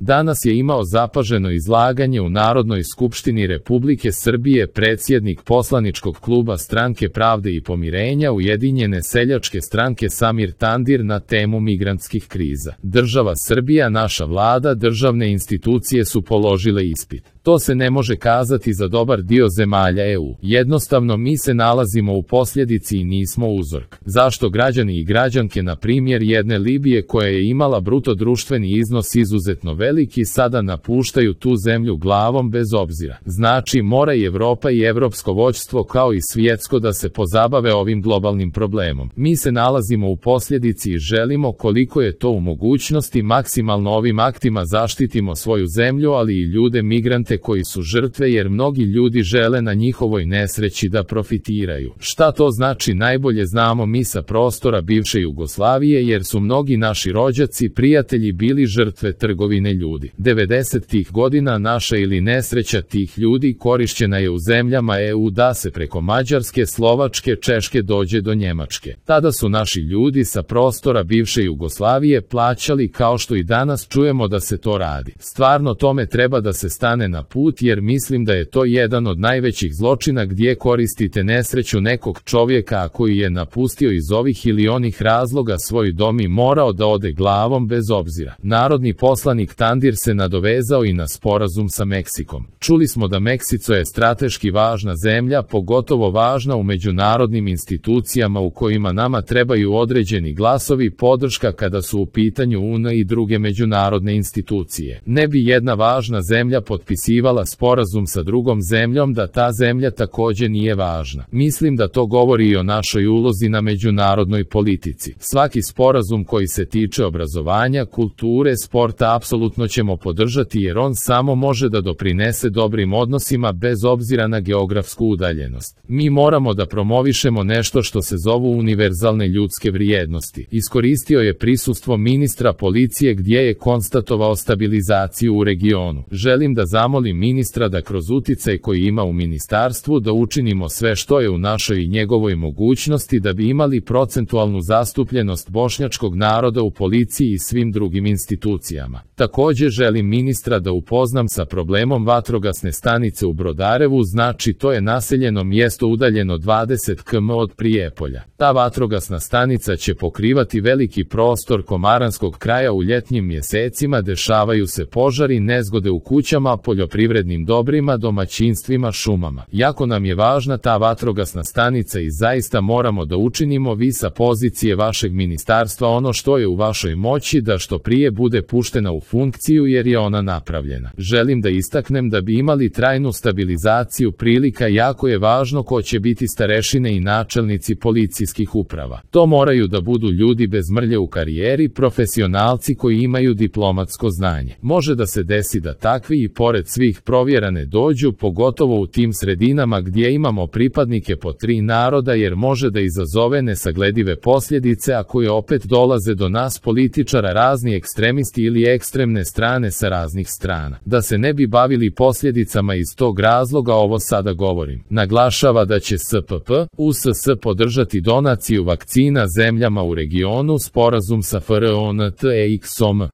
Danas je imao zapaženo izlaganje u Narodnoj skupštini Republike Srbije predsjednik poslaničkog kluba Stranke pravde i pomirenja Ujedinjene seljačke stranke Samir Tandir na temu migrantskih kriza. Država Srbija, naša vlada, državne institucije su položile ispit. To se ne može kazati za dobar dio zemalja EU. Jednostavno mi se nalazimo u posljedici i nismo uzork. Zašto građani i građanke, na primjer jedne Libije koja je imala bruto društveni iznos izuzetno veliki, sada napuštaju tu zemlju glavom bez obzira? Znači mora i Evropa i evropsko vođstvo kao i svjetsko da se pozabave ovim globalnim problemom. Mi se nalazimo u posljedici i želimo, koliko je to u mogućnosti, maksimalno ovim aktima zaštitimo svoju zemlju, ali i ljude migrante koji su žrtve, jer mnogi ljudi žele na njihovoj nesreći da profitiraju. Šta to znači najbolje znamo mi sa prostora bivše Jugoslavije, jer su mnogi naši rođaci, prijatelji bili žrtve trgovine ljudi. 90-ih godina naša ili nesreća tih ljudi korišćena je u zemljama EU da se preko Mađarske, Slovačke, Češke dođe do Njemačke. Tada su naši ljudi sa prostora bivše Jugoslavije plaćali, kao što i danas čujemo da se to radi. Stvarno tome treba da se stane na put, jer mislim da je to jedan od najvećih zločina gdje koristite nesreću nekog čovjeka, a koji je napustio iz ovih ili onih razloga svoj dom i morao da ode glavom bez obzira. Narodni poslanik Tandir se nadovezao i na sporazum sa Meksikom. Čuli smo da Meksiko je strateški važna zemlja, pogotovo važna u međunarodnim institucijama u kojima nama trebaju određeni glasovi, podrška kada su u pitanju UN i druge međunarodne institucije. Ne bi jedna važna zemlja potpisivala sporazum sa drugom zemljom da ta zemlja također nije važna. Mislim da to govori i o našoj ulozi na međunarodnoj politici. Svaki sporazum koji se tiče obrazovanja, kulture, sporta apsolutno ćemo podržati, jer on samo može da doprinese dobrim odnosima bez obzira na geografsku udaljenost. Mi moramo da promovišemo nešto što se zovu univerzalne ljudske vrijednosti. Iskoristio je prisustvo ministra policije gdje je konstatovao stabilizaciju u regionu. Želim da zamolim ministra da kroz uticaj koji ima u ministarstvu da učinimo sve što je u našoj i njegovoj mogućnosti da bi imali procentualnu zastupljenost bošnjačkog naroda u policiji i svim drugim institucijama. Također želim ministra da upoznam sa problemom vatrogasne stanice u Brodarevu, znači to je naseljeno mjesto udaljeno 20 km od Prijepolja. Ta vatrogasna stanica će pokrivati veliki prostor komaranskog kraja u ljetnjim mjesecima, dešavaju se požari, nezgode u kućama, poljoprivrednim dobrima, domaćinstvima, šumama. Jako nam je važna ta vatrogasna stanica i zaista moramo da učinimo vi sa pozicije vašeg ministarstva ono što je u vašoj moći da što prije bude puštena u funkciju, jer je ona napravljena. Želim da istaknem da bi imali trajnu stabilizaciju prilika, jako je važno ko će biti starešine i načelnici policijskih uprava. To moraju da budu ljudi bez mrlje u karijeri, profesionalci koji imaju diplomatsko znanje. Može da se desi da takvi i pored svih provjerane dođu, pogotovo u tim sredinama gdje imamo pripadnike po 3 naroda, jer može da izazove nesagledive posljedice ako je opet dolaze do nas političara razni ekstremisti ili ekstremne strane sa raznih strana. Da se ne bi bavili posljedicama iz tog razloga ovo sada govorim. Naglašava da će SPP, USS podržati donaciju vakcina zemljama u regionu, sporazum sa FRONTEX-om.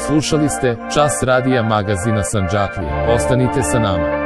Slušali ste Čas radija magazina Sandžaklija. Ostanite sa nama.